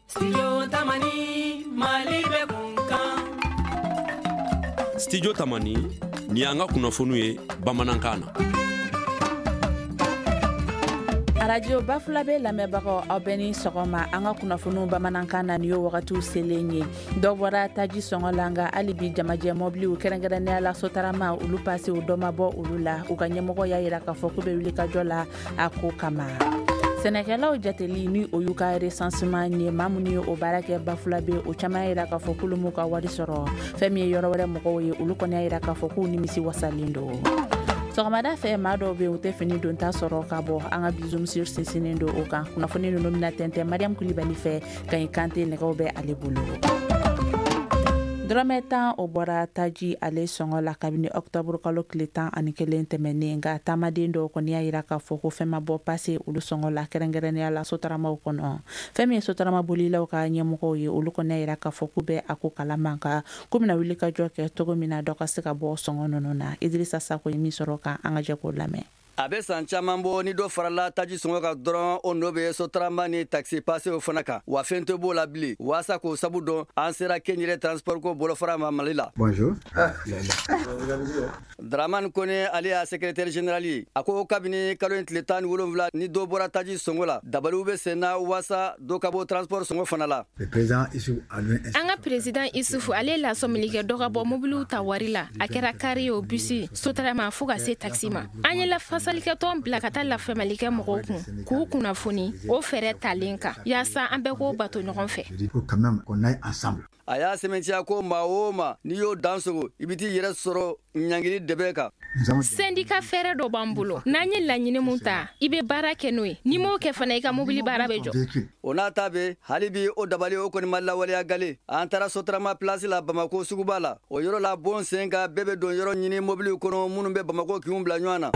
Studio Tamani, Mali bɛ kun kan. Studio Tamani, nin y'an ka kunnafoniw ye bamanankan na. Arajo Bafulabe lamɛnbagaw, aw bɛ ni sɔgɔma. An ka kunnafoniw bamanankan na, nin ye wagatiw selen ye. Dɔ bɔra taji sɔngɔ la, nka hali bi jamajɛ mɔbiliw, kɛrɛnkɛrɛnnenya la Sotarama, olu pasew, dɔ ma bɔ olu la. U ka ɲɛmɔgɔ y'a yira k'a fɔ k'u bɛ wuli ka jɔ la a ko kama. Sɛnɛkɛlaw jateli, ni o y'u ka recensement ye, maa minnu ye o baara kɛ Bafulabe, o caman y'a yira k'a fɔ k'olu m'u ka wari sɔrɔ. Fɛn min ye yɔrɔ wɛrɛ mɔgɔw ye, olu kɔni y'a yira k'a fɔ k'u nimisi wasalen don. Sɔgɔmada fɛ, maa dɔw bɛ, u tɛ fini donta sɔrɔ ka bɔ. An ka bi zoom sur sinsinnen don o kan. Kunnafoni ninnu bɛna tɛntɛn Mariam Kulibali fɛ. Kaɲi Kante, nɛgɛw bɛ ale bolo. Dɔrɔmɛ 10, o bɔra taji ale sɔngɔ la kabini ɔkutɔburu kalo tile 11 tɛmɛnen, nka taamaden dɔw kɔni y'a yira k'a fɔ ko fɛn ma bɔ pase olu sɔngɔ la, kɛrɛnkɛrɛnnenya la sotaramaw kɔnɔ. Fɛn min ye sotarama bolilaw ka ɲɛmɔgɔw ye, olu kɔni y'a yira k'a fɔ k'u bɛ a ko kalama, nka k'u bɛna wuli ka jɔ kɛ cogo min na dɔ ka se ka bɔ sɔngɔ ninnu na. Idirisa Sako ye min sɔrɔ kan, an ka jɛ k'o lamɛn. A bɛ san caman bɔ, ni dɔ farala taji sɔngɔ kan dɔrɔn, o nɔ bɛ sotarama ni taxi pasew fana kan, wa fɛn tɛ b'o la bilen. Waasa k'o sabu dɔn, an sera kɛnyɛrɛ transport ko bolofara ma Mali la. Bonjour. Dramane Kone, ale y'a secrétaire général ye, a ko kabini kalo in tile 17 ni dɔ bɔra taji sɔngɔ la, dabaliw bɛ sen na waasa dɔ ka bɔ transport sɔngɔ fana la. An ka président Isufu, ale ye lasɔmili kɛ dɔ ka bɔ mobiliw ta wari la, a kɛra kari ye o, bisi, sotarama, fo ka se taxi ma. An ye lafasalikɛtɔn bila ka taa lafaamuyalikɛ mɔgɔw kun k'u kunnafoni o fɛɛrɛ talen kan, yaasa an bɛɛ k'o bato ɲɔgɔn fɛ. A y'a sɛmɛntiya ko maa o maa n'i y'o dan sogo, i bɛ t'i yɛrɛ sɔrɔ ɲangili dɛbɛ kan. Sɛndika fɛɛrɛ dɔ b'an bolo. N'an ye laɲini mun ta, i bɛ baara kɛ n'o ye. N'i m'o kɛ fana, i ka mobili baara bɛ jɔ. O n'a ta bɛ, hali bi o dabali o kɔni ma lawaleya gale. An taara Sotarama place la Bamako suguba la. O yɔrɔ la, bon sen kan, bɛɛ bɛ don yɔrɔ ɲini mobiliw kɔnɔ minnu bɛ Bamako kinw bila ɲɔgɔn na.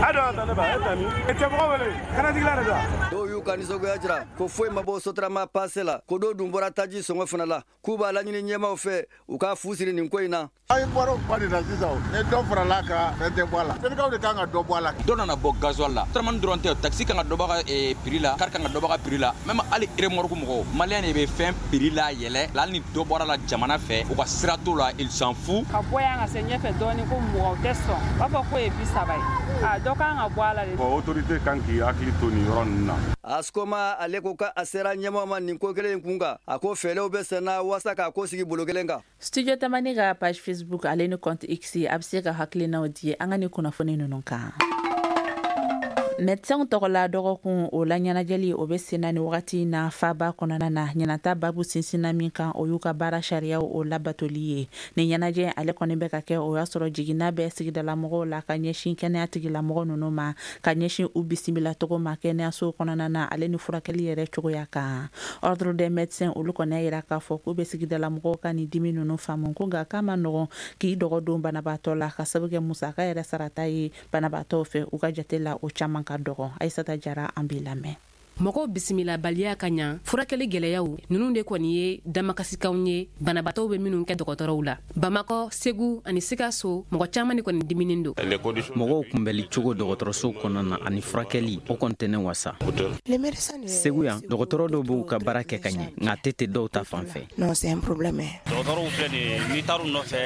Dɔw y'u ka nisɔngoya jira ko foyi ma bɔ Sotarama passe la, ko dɔw dun bɔra taji sɔngɔ fana la, k'u b'a laɲini ɲɛmaw fɛ u ka fu siri nin ko in na. An bɔra o kuma de la sisan. Ni dɔ farala kan, fɛn tɛ bɔ a la. Syndicats de kan ka dɔ bɔ a la. Dɔ nana bɔ gasoil la. Sotarama dɔrɔn tɛ, taxi kan ka dɔ bɔ a ka prix la, car kan ka dɔ bɔ a ka prix la, même hali remorque mɔgɔw. Malien de bɛ fɛn prix la yɛlɛ, hali ni dɔ bɔra la jamana fɛ, u ka sira t'o la, ils s'en fout. Ka bɔ yan ka se ɲɛfɛ dɔɔni ko mɔgɔw tɛ sɔn, u b'a fɔ k'o ye 30 ye. A dɔ kan ka bɔ a la de. Bon, autorité kan k'i hakili to nin yɔrɔ ninnu na. Askoma, ale ko k'a sera ɲɛmaw ma nin ko kelen in kun kan. A ko fɛɛrɛw bɛ sen na waasa k'a ko sigi bolo kelen kan. Studio Tamani ka page Facebook ale ni compte X, a bɛ se ka hakilinaw di an ka ni kunnafoni ninnu kan. Médecins tɔgɔla dɔgɔkun o la ɲɛnajɛli, o bɛ sen na ni wagati na faba kɔnɔna na. Ɲinata babu sinsinna min kan, o y'u ka baara sariyaw o labatoli ye. Ni ɲɛnajɛ ale kɔni bɛ ka kɛ, o y'a sɔrɔ jiginna bɛ sigidala mɔgɔw la ka ɲɛsin kɛnɛya tigilamɔgɔ ninnu ma, ka ɲɛsin u bisimila cogo ma kɛnɛyaso kɔnɔna na, ale ni furakɛli yɛrɛ cogoya kan. Ordre des médecins, olu kɔni y'a yira k'a fɔ k'u bɛ sigidala mɔgɔw ka nin dimi ninnu faamu, ko nka k'a ma nɔgɔn k'i dɔgɔ don banabaatɔ la, ka sababu kɛ musaka yɛrɛ sarata ye banabaatɔw fɛ, u ka jate la, o caman ka dɔgɔ. Ayisata Jara, an b'i lamɛn. Mɔgɔw bisimilabaliya ka ɲa, furakɛli gwɛlɛyaw nunu de kɔni ye damakasikanw ye banabaatɔw bɛ minnu kɛ dɔgɔtɔrɔw la. Bamakɔ, Segu ani Sikaso, mɔgɔ caaman de kɔni diminen don. Mɔgɔw kunbɛli cogo dɔgɔtɔrɔso kɔnɔna na ani furakɛli, o kɔni tɛ ne wasa. Segu yan, dɔgɔtɔrɔ dɔw b'u ka baara kɛ ka ɲɛ, nka a tɛ ten dɔw ta fan fɛ. Dɔgɔtɔrɔw filɛ nin ye, n'i taar'u nɔfɛ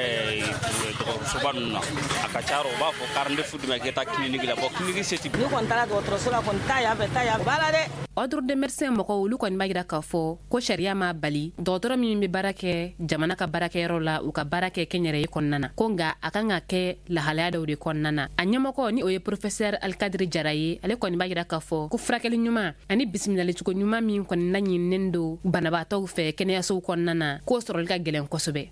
dɔgɔtɔrɔsoba ninnu na, a ka ca u b'a fɔ 42 d'u ma k'i ka taa clinique la. Bon, clinique se tɛ. Ni kɔni taara dɔgɔtɔrɔso la kɔni, taa yan fɛ, taa yan, b'a la dɛ. Ordre des médecins mɔgɔw, olu kɔni b'a yira k'a fɔ ko sariya m'a bali dɔgɔtɔrɔ min bɛ baara kɛ jamana ka baarakɛyɔrɔ la, u ka baara kɛ kɛnyɛrɛye kɔnɔna na, ko nka a kan ka kɛ lahalaya dɔw de kɔnɔna na. A ɲɛmɔgɔ, ni o ye professeur Alikadiri Jara ye, ale kɔni b'a yira k'a fɔ ko furakɛli ɲuman ani bisimilalicogo ɲuman min kɔni laɲininen don banabaatɔw fɛ kɛnɛyasow kɔnɔna na, k'o sɔrɔli ka gɛlɛn kosɛbɛ.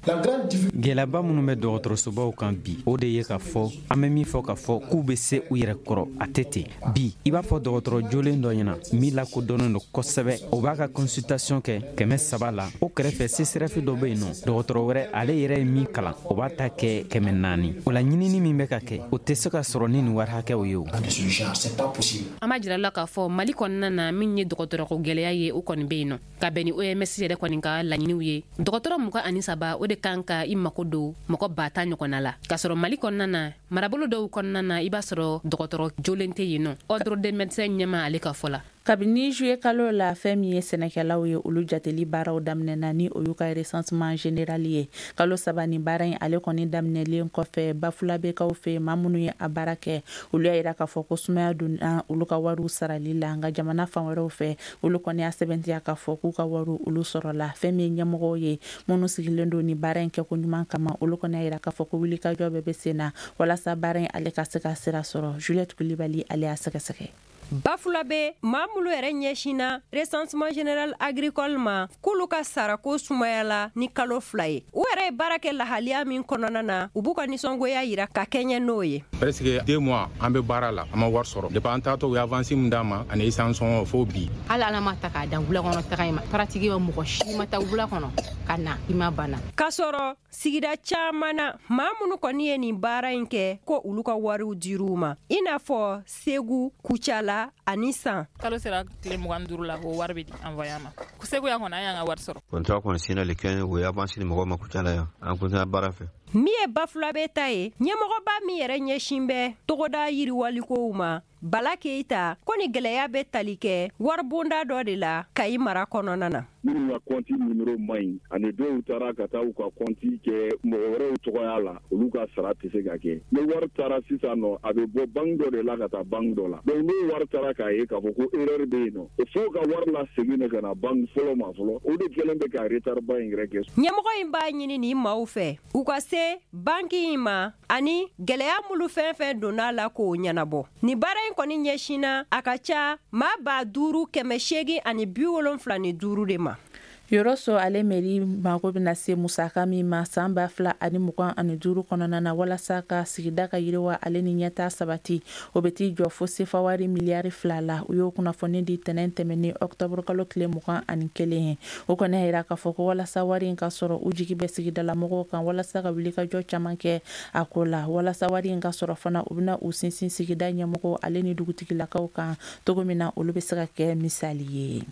Gɛlɛyaba minnu bɛ dɔgɔtɔrɔsobaw kan bi, o de ye k'a fɔ an bɛ min fɔ k'a fɔ k'u bɛ se u yɛrɛ kɔrɔ, a tɛ ten. Bi, i b'a fɔ dɔgɔtɔrɔ jolen dɔ ɲɛna min lakodɔnnen don kosɛbɛ, o b'a ka consultation kɛ 300 la. O kɛrɛfɛ, CSRéf dɔ bɛ yen nɔ, dɔgɔtɔrɔ wɛrɛ, ale yɛrɛ ye min kalan, o b'a ta kɛ 400. O la, ɲinini min bɛ ka kɛ, o tɛ se ka sɔrɔ ni nin wari hakɛw ye. O An b'a jira la k'a fɔ Mali kɔnɔna na, min ye dɔgɔtɔrɔko gwɛlɛya ye, o kɔni bɛ yen nɔ. Ka bɛn ni OMS yɛrɛ kɔni ka laɲiniw ye, dɔgɔtɔrɔ 23, o de kan ka i mako don mɔgɔ 10 000 ɲɔgɔnna la, k'a sɔrɔ Mali kɔnɔna na, marabolo dɔw kɔnɔna na, i b'a sɔrɔ dɔgɔtɔrɔ jolen tɛ yen nɔ. Ordre des médecins ɲɛma, ale ka fɔ la. Kabini juillet kalo la, fɛn min ye sɛnɛkɛlaw ye, olu jateli baaraw daminɛna, ni o y'u ka recensement général ye. Kalo 3 ni baara in ale kɔni daminɛlen kɔfɛ, Bafulabekaw fɛ, maa minnu ye a baara kɛ, olu y'a yira k'a fɔ ko sumaya donna olu ka wariw sarali la. Nka jamana fan wɛrɛw fɛ, olu kɔni y'a sɛbɛntiya k'a fɔ k'u ka wariw olu sɔrɔla. Fɛn min ye ɲɛmɔgɔw ye minnu sigilen don ni baara in kɛko ɲuman kama, olu kɔni y'a yira k'a fɔ ko wulikajɔ bɛɛ bɛ sen na walasa baara in ale ka se ka sira sɔrɔ. Juliette Kulibali ale y'a sɛgɛsɛgɛ. Bafulabe maa minnu yɛrɛ ɲɛsinna recensement général agricole ma, k'olu ka sarako sumayala ni kalo 2 ye. U yɛrɛ ye baara kɛ lahaliya min kɔnɔna na, u b'u ka nisɔngoya yira ka kɛɲɛ n'o ye. Presque 2 mois an bɛ baara la, an ma wari sɔrɔ. Depuis an taatɔ, u ye avance min d'an ma ani essence sɔngɔ fo bi. Hali Ala ma ta k'a dan wula kɔnɔ taga in ma, pratiquement mɔgɔ si ma taa wula kɔnɔ ka na i ma banna. K'a sɔrɔ sigida caman na, maa minnu kɔni ye nin baara in kɛ, ko olu ka wariw dir'u ma, i n'a fɔ Segu, Kucala ani San. Kalo sera tile 25 la, o wari bɛ di envoyé ma. Segu yan kɔni, an y'an ka wari sɔrɔ. Contrat kɔni signé le 15, o ye avance di mɔgɔw ma Kucala yan. An continuera baara fɛ. Min ye Bafulabe ta ye, ɲɛmɔgɔba min yɛrɛ ɲɛsin bɛ togoda yiriwalikow ma, Bala Keyita, ko ni gɛlɛya bɛ tali kɛ waribonda dɔ de la Kayi mara kɔnɔna na. Minnu ka compte numéro man ɲi ani dɔw taara ka taa u ka compte kɛ mɔgɔ wɛrɛw tɔgɔya la, olu ka sara tɛ se ka kɛ. Ni wari taara sisan nɔ, a bɛ bɔ banque dɔ de la ka taa banque dɔ la. Donc n'o wari taara k'a ye k'a fɔ ko erreur bɛ yen nɔ, fo ka wari lasegin de ka na banque fɔlɔ ma fɔlɔ. O de kɛlen bɛ ka retard ba in yɛrɛ kɛ. Ɲɛmɔgɔ in b'a ɲini nin maaw fɛ, u ka se banque in ma ani gɛlɛya minnu fɛn fɛn donna a la k'o ɲɛnabɔ. Nin baara in kɔni ɲɛsinna a ka ca maa 5875 de ma. Yɔrɔso ale mairie mago bɛna se musaka min ma san 2025 kɔnɔna na walasa ka sigida ka yiriwa ale ni ɲɛta sabati, o bɛ t'i jɔ fo sefa wari miliyari 2 la. U y'o kunnafoni di tɛnɛn tɛmɛnen octobre kalo tile 21 ye. O kɔni y'a yira k'a fɔ ko walasa wari in ka sɔrɔ, u jigi bɛ sigidalamɔgɔw kan walasa ka wulikajɔ caman kɛ a ko la. Walasa wari in ka sɔrɔ fana, u bɛna u sinsin sigida ɲɛmɔgɔw ale ni dugutigilakaw kan cogo min na olu bɛ se ka kɛ misali ye.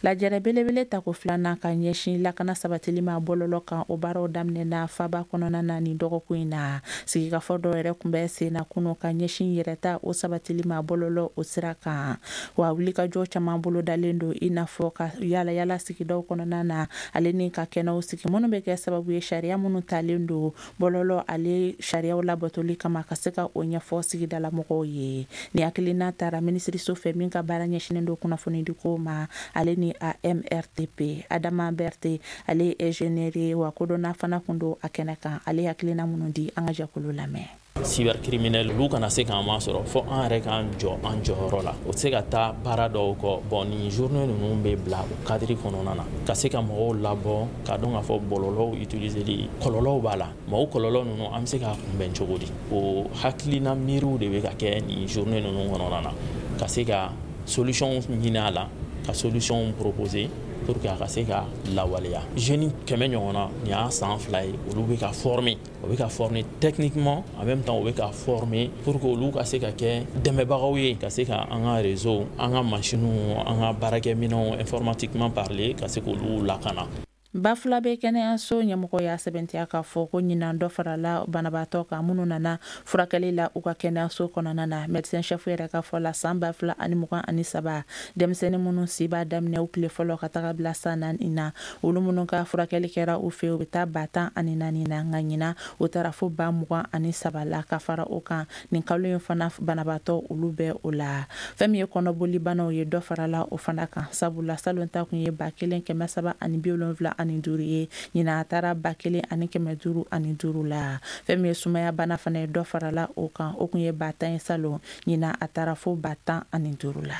Lajɛrɛ belebele tako filanan ka ɲɛsin lakana sabatili ma bɔlɔlɔ kan, o baaraw daminɛna faba kɔnɔna na nin dɔgɔkun in na. Sigikafɔ dɔw yɛrɛ tun bɛ sen na kunu ka ɲɛsin yɛrɛta o sabatili ma bɔlɔlɔ o sira kan. Wa wulikajɔ caman bolo dalen don, i n'a fɔ ka yala yala sigidaw kɔnɔna na ale ni ka kɛnɛw sigi minnu bɛ kɛ sababu ye sariya minnu talen don bɔlɔlɔ ale sariyaw labatoli kama ka se ka o ɲɛfɔ sigidala mɔgɔw ye. Ni hakilina taara minisiriso fɛ min ka baara ɲɛsinnen don kunnafonidiko ma ale ni AMRTP. Adama Berthe ale ye ingénieur ye, wa kodɔnna fana kun don a kɛnɛ kan. Ale hakilina minnu di, an ka jɛkulu lamɛn. Cybercriminel olu kana se k'an masɔrɔ fo an yɛrɛ k'an jɔ an jɔyɔrɔ la. O tɛ se ka taa baara dɔw kɔ. Bon, nin journée ninnu bɛ bila o cadre kɔnɔna na ka se ka mɔgɔw labɔ k'a dɔn k'a fɔ bɔlɔlɔw utiliseli kɔlɔlɔw b'a la, mais o kɔlɔlɔ ninnu an bɛ se k'a kunbɛn cogo di? O hakilina miiriw de bɛ ka kɛ nin journée ninnu kɔnɔna na ka se ka solution ɲini a la, ka solution proposer pour que a ka se ka lawaleya. Jeune 100 ɲɔgɔnna, nin y'a san 2 ye, olu bɛ ka former, o bɛ ka former techniquement, en même temps u bɛ ka former pour que olu ka se ka kɛ dɛmɛbagaw ye ka se ka an ka réseau, an ka machines, an ka baarakɛminɛnw, informatiquement parler, ka se k'olu lakana. Bafulabe kɛnɛyaso ɲɛmɔgɔ y'a sɛbɛntiya k'a fɔ ko ɲinan dɔ farala banabaatɔ kan minnu nana furakɛli la u ka kɛnɛyaso kɔnɔna na. Médecin chef yɛrɛ ka fɔ la, san 2023, denmisɛnnin minnu si b'a daminɛ u tile fɔlɔ ka taga bila san 4 na, olu minnu ka furakɛli kɛra u fɛ, u bɛ taa 14,000 na. Nka ɲinan o taara fo 23,000 la. Ka fara o kan, nin kalo in fana banabaatɔ olu bɛ o la. Fɛn min ye kɔnɔboli banaw ye, dɔ farala o fana kan, sabula salon ta kun ye 1375 ye, ɲinan a taara 1505 la. Fɛn min ye sumaya bana fana ye, dɔ farala o kan, o kun ye 10,000 ye salon, ɲinan a taara fo 15,000 la.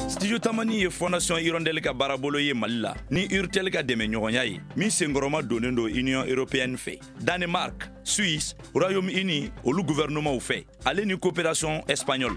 Studio Tamani ye Fondation Hirondelle ka baarabolo ye Mali la ni Urtel ka dɛmɛɲɔgɔnya ye min senkɔrɔma donnen don Union européenne fɛ, Danemark, Suisse, Royaume-Uni olu gouvernementw fɛ, ale ni coopération espagnole.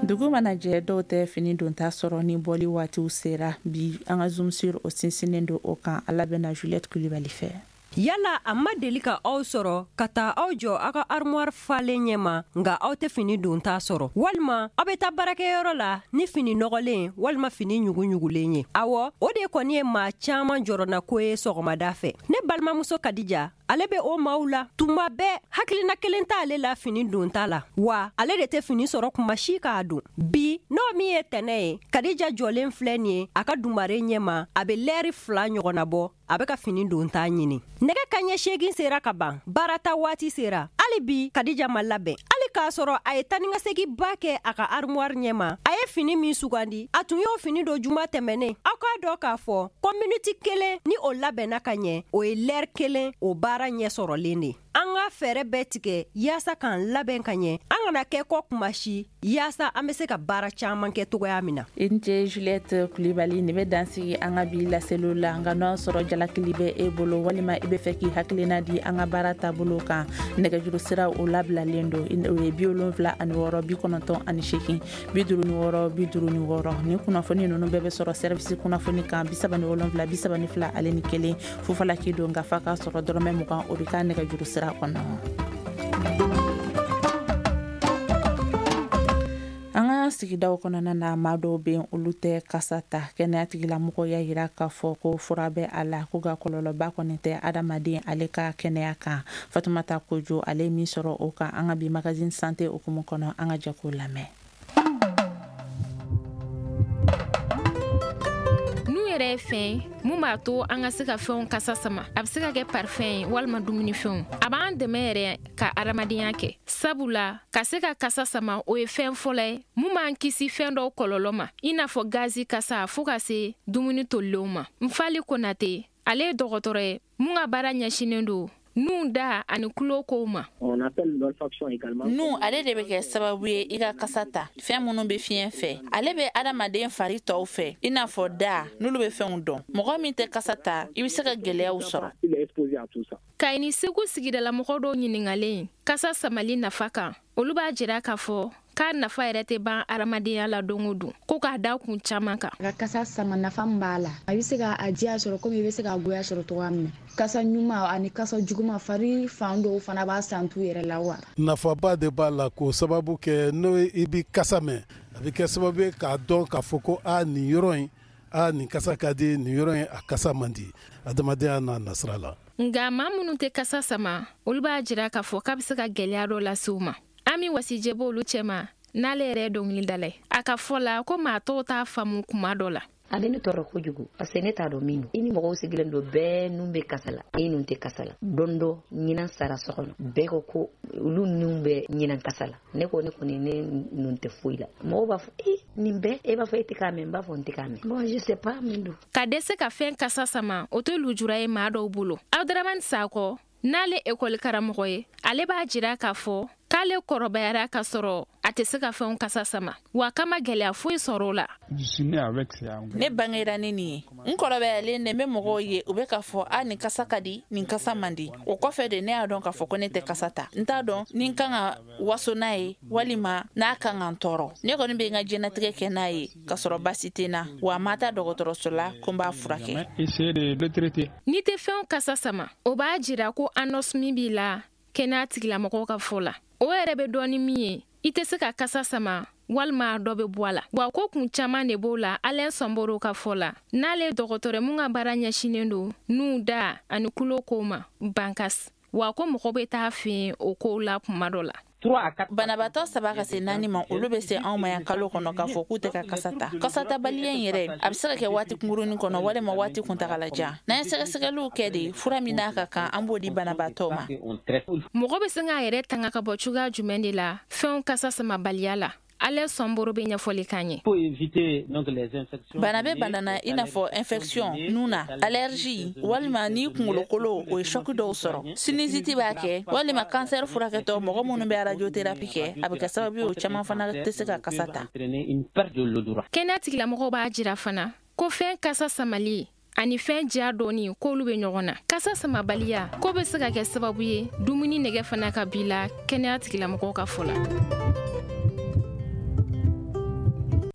Dugu mana jɛ, dɔw tɛ fini donta sɔrɔ ni bɔli waatiw sera. Bi an ka zoom sur o sinsinnen don o kan. Ala bɛna Juliette Kulibali fɛ. Yala a ma deli ka aw sɔrɔ ka taa aw jɔ aw ka armoire falen ɲɛma, nka aw tɛ fini donta sɔrɔ, walima aw bɛ taa baarakɛyɔrɔ la ni fini nɔgɔlen walima fini ɲuguɲugulen ye? Awɔ, o de kɔni ye maa caman jɔrɔnako ye sɔgɔmada fɛ. Ne balimamuso Kadija, Ale bɛ o maaw la. Tuma bɛɛ hakilina kelen t'ale la fini donta la, wa ale de tɛ fini sɔrɔ kuma si k'a don. Bi n'o min ye tɛnɛ ye, Kadija jɔlen filɛ nin ye a ka dumare ɲɛma, a bɛ lɛri 2 ɲɔgɔnna bɔ, a bɛ ka fini donta ɲini. Nɛgɛ kanɲɛ 8 sera ka ban, baarata waati sera. Hali bi Kadija ma labɛn, hali k'a sɔrɔ a ye taanikasegin ba kɛ a ka armoire ɲɛma. A ye fini min sugandi, a tun y'o fini don juma tɛmɛnen. Aw k'a dɔn k'a fɔ ko miniti 1 ni o labɛnna ka ɲɛ, o ye lɛri 1 o baara ɲɛ sɔrɔlen de. An ka fɛɛrɛ bɛɛ tigɛ yaasa k'an labɛn ka ɲɛ, an kana kɛ kɔ kuma si, yaasa an bɛ se ka baara caman kɛ togoya min na. I ni ce Juliette Kulibali. Nin bɛ dansigi an ka bi laseliw la. Nka n'o y'a sɔrɔ jalakili bɛ e bolo walima i bɛ fɛ k'i hakilina di an ka baara taabolo kan, nɛgɛjuru sira o labilalen don. O ye 76 98 56 56. Ni kunnafoni ninnu bɛɛ bɛ sɔrɔ service kunnafoni kan, 37 32 ale ni 1. Fufalaki don, nka fa k'a sɔrɔ dɔrɔmɛ 20, o bɛ k'a nɛgɛjuru sira kɔnɔ. An ka sigidaw kɔnɔna na, maa dɔw bɛ yen, olu tɛ kasa ta. Kɛnɛya tigilamɔgɔw y'a yira k'a fɔ ko fura bɛ a la, ko ka kɔlɔlɔba kɔni tɛ adamaden ale ka kɛnɛya kan. Fatumata Kojo, ale ye min sɔrɔ o kan an ka bi magazine santé hukumu kɔnɔ, an ka jɛ k'o lamɛn. Nun yɛrɛ ye fɛn mun b'a to an ka se ka fɛnw kasa sama. A bɛ se ka kɛ parfɛn ye walima dumunifɛnw. A b'an dɛmɛ yɛrɛ ka adamadenya kɛ, sabula ka se ka kasa sama, o ye fɛn fɔlɔ ye mun b'an kisi fɛn dɔw kɔlɔlɔ ma, i n'a fɔ gazi kasa fɔɔ ka se dumuni tolilenw ma. Nfali Konate, ale ye dɔgɔtɔrɔ ye mun ka baara ɲɛsinnen don nun, da ani tulo kow ma. Nun ale de bɛ kɛ sababu ye i ka kasa ta, fɛn minnu bɛ fiɲɛ fɛ. Ale bɛ adamaden fari tɔw fɛ, i n'a fɔ da, n'olu bɛ fɛnw dɔn. Mɔgɔ min tɛ kasa ta, i bɛ se ka gɛlɛyaw sɔrɔ. Kayi ni Segu sigidalamɔgɔ dɔw ɲininkalen kasa samali nafa kan, olu b'a jira k'a fɔ k'a nafa yɛrɛ tɛ ban adamadenya la don o don, ko k'a da kun caman kan. Ka kasa sama, nafa min b'a la, a bɛ se ka a diya sɔrɔ komi i bɛ se k'a goya sɔrɔ cogoya min na. Kasa ɲuman ani kasa juguman, fari fan dɔw fana b'a santu yɛrɛ la wa. Nafaba de b'a la, k'o sababu kɛ n'o i bɛ kasa mɛn, a bɛ kɛ sababu ye k'a dɔn k'a fɔ ko a nin yɔrɔ in, a nin kasa ka di, nin yɔrɔ in a kasa man di, adamadenya n'a nasira la. Nka maa minnu tɛ kasa sama, olu b'a jira k'a fɔ k'a bɛ se ka gɛlɛya dɔ lase u ma. Ami Wasijɛ b'olu cɛma, n'ale yɛrɛ ye dɔnkilidala ye. A ka fɔ la ko maa tɔw t'a faamu kuma dɔ la. A bɛ ne tɔɔrɔ kojugu parce que ne t'a dɔn min don. I ni mɔgɔw sigilen don, bɛɛ nun bɛ kasa la, e nun tɛ kasa la. Don dɔ ɲinan sara so kɔnɔ, bɛɛ ko ko olu nun bɛ ɲinan kasa la. Ne ko ne kɔni ne nun tɛ foyi la. Mɔgɔw b'a fɔ e nin bɛɛ, e b'a fɔ e tɛ k'a mɛn, n b'a fɔ n tɛ k'a mɛn. Bon, je sais pas min don. Ka dɛsɛ ka fɛn kasa sama, o tɛ lujura ye maa dɔw bolo. Abdramani Sakɔ, n'ale ekɔli karamɔgɔ ye, ale b'a jira k'a fɔ k'ale kɔrɔbayara ka sɔrɔ a tɛ se ka fɛnw kasa sama, wa k'a ma gɛlɛya foyi sɔrɔ o la. Ne bangera ni nin ye, n kɔrɔbayalen de, n bɛ mɔgɔw ye, u bɛ k'a fɔ a nin kasa ka di, nin kasa man di. O kɔfɛ de ne y'a dɔn k'a fɔ ko ne tɛ kasa ta. N t'a dɔn ni n kan ka waso n'a ye walima n'a kan ka n tɔɔrɔ. Ne kɔni bɛ n ka diɲɛnatigɛ kɛ n'a ye k'a sɔrɔ baasi tɛ n na, wa ma taa dɔgɔtɔrɔso la ko n b'a furakɛ. N'i tɛ fɛnw kasa sama, o b'a jira ko anosmie b'i la. Kɛnɛya tigilamɔgɔw ka fɔ la, o yɛrɛ bɛ dɔn ni min ye, i tɛ se ka kasa sama walima dɔ bɛ bɔ a la, wa ko kun caman de b'o la. Alain Sɔnboro ka fɔ la, n'ale dɔgɔtɔrɔ mun ka baara ɲɛsinnen don nun, da ani tulo kow ma bankas, wa ko mɔgɔ bɛ taa fɛ yen o kow la kuma dɔ la. Banabaatɔ 3 ka se 4 ma, olu bɛ se anw ma yan kalo kɔnɔ k'a fɔ k'u tɛ ka kasa ta. Kasatabaliya in yɛrɛ, a bɛ se ka kɛ waati kunkurunin kɔnɔ walima waati kuntagala jan. N'an ye sɛgɛsɛgɛliw kɛ de, fura min n'a ka kan, an b'o di banabaatɔ ma. Mɔgɔ bɛ se k'a yɛrɛ tanga ka bɔ cogoya jumɛn de la fɛnw kasa samabaliya la? Ale Sɔnboro bɛ ɲɛfɔli k'an ye. Bana bɛ bana na, i n'a fɔ infection nun na, allergie, walima ni kunkolokolo o ye choc dɔw sɔrɔ, sinusite b'a kɛ, walima cancer furakɛtɔ, mɔgɔ minnu bɛ radiothérapie kɛ, a bɛ kɛ sababu ye o caman fana tɛ se ka kasa ta. Kɛnɛya tigilamɔgɔw b'a jira fana ko fɛn kasa samali ani fɛn diya dɔɔni, k'olu bɛ ɲɔgɔn na. Kasa samabaliya ko bɛ se ka kɛ sababu ye dumuni nɛgɛ fana ka b'i la, kɛnɛya tigilamɔgɔw ka fɔ la.